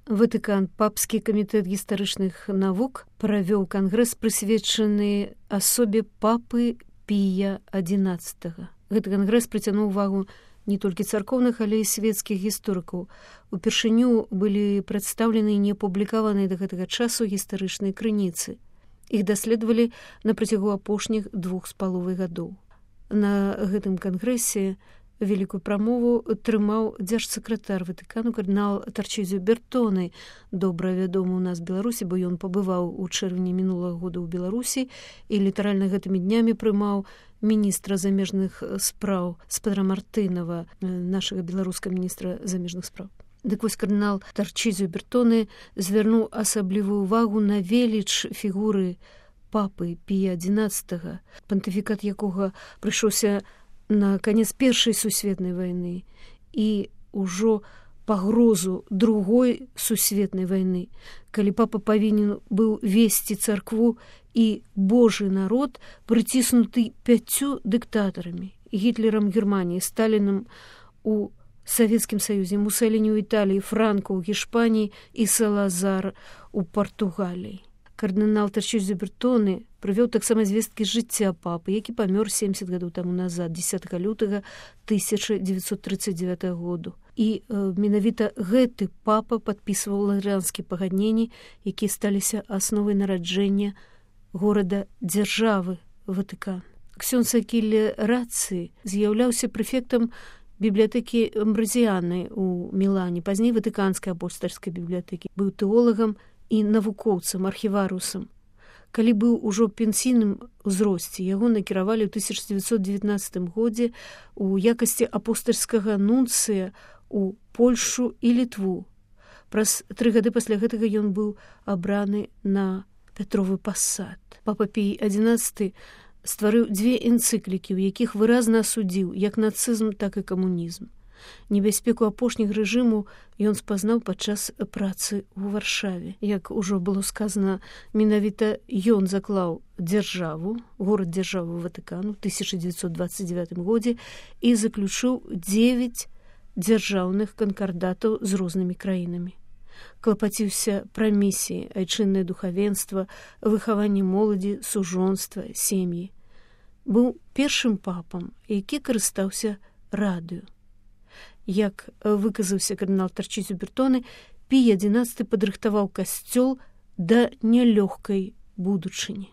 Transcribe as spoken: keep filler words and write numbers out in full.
Ватыкан, папскі камітэт гістарычных навук правёў кангрэс, прысвечаны асобе папы Пія адзінаццатага. Гэты кангрэс прыцягнуў увагу не толькі царкоўных, але і свецкіх гісторыкаў. Упершыню былі прадстаўлены і не апублікаваныя да гэтага часу гістарычныя крыніцы. Іх даследавалі на працягу апошніх двух з паловай гадоў. На гэтым кангрэсе вялікую прамову трымаў дзяржсакратар Ватыкану кардынал Тарчызіо Бертоне, добра вядомы ў нас Беларусі, бо ён пабываў у чэрвені мінулага года ў Беларусі і літаральна гэтымі днямі прымаў міністра замежных спраў спадара Мартынова, нашага беларускага міністра замежных спраў. Дык вось кардынал Тарчызіо Бертоне звярнуў асаблівую увагу на веліч фігуры папы Пія адзінаццатага, пантыфікат якога прыйшоўся на канец першай сусветнай вайны і ўжо пагрозу другой сусветнай вайны, калі папа павінен быў весці царкву і Божы народ, прыціснуты пяццю дыктатарамі: Гітлерам Германіі, Сталінам у Савецкім Саюзе, Мусаліні ў Італіі, Франко ў Гішпаніі і Салазар у Партугаліі. Кардынал Тарчызіо Бертоне прывёў таксама звесткі з жыцця папы, які памёр семьдесят гадоў таму назад, дзесятага лютага тысяча дзевяцьсот тридцать девятага году. І э, менавіта гэты папа падпісваў лазарянскія пагадненні, якія сталіся асновай нараджэння горада-дзяржавы Ватыкан. Ксёндз Акіле Рацци з'яўляўся прэфектам бібліятэкі Амбразіяны ў Мілане, пазней Ватыканскай апостальскай бібліятэкі. Быў тэолагам і навукоўцам, архіварусам. Калі быў ужо пенсійным узросце, яго накіравалі ў тысяча дзевяцьсот дзевятнаццатым годзе у якасці апостальскага нунцыя у Польшу і Літву. Праз тры гады пасля гэтага ён быў абраны на Пятровы пасад. Папа Пій адзінаццаты стварыў дзве энцыклікі, у якіх выразна асудзіў як нацызм, так і камунізм. Небяспеку апошніх рэжыму ён спазнаў падчас працы ў Варшаве. Як ужо было сказана, менавіта ён заклаў дзяржаву, горад-дзяржаву Ватыкану ў тысяча дзевяцьсот дваццаць дзевятым годзе і заключыў дзевяць дзяржаўных канкардатаў з рознымі краінамі. Клапаціўся пра місіі, айчыннае духавенства, выхаванне моладзі, сужонства, сем'і. Быў першым папам, які карыстаўся радыё. Як выказаўся кардынал Тарчызіо Бертоне, Пій адзінаццаты падрыхтаваў касцёл да нялёгкай будучыні.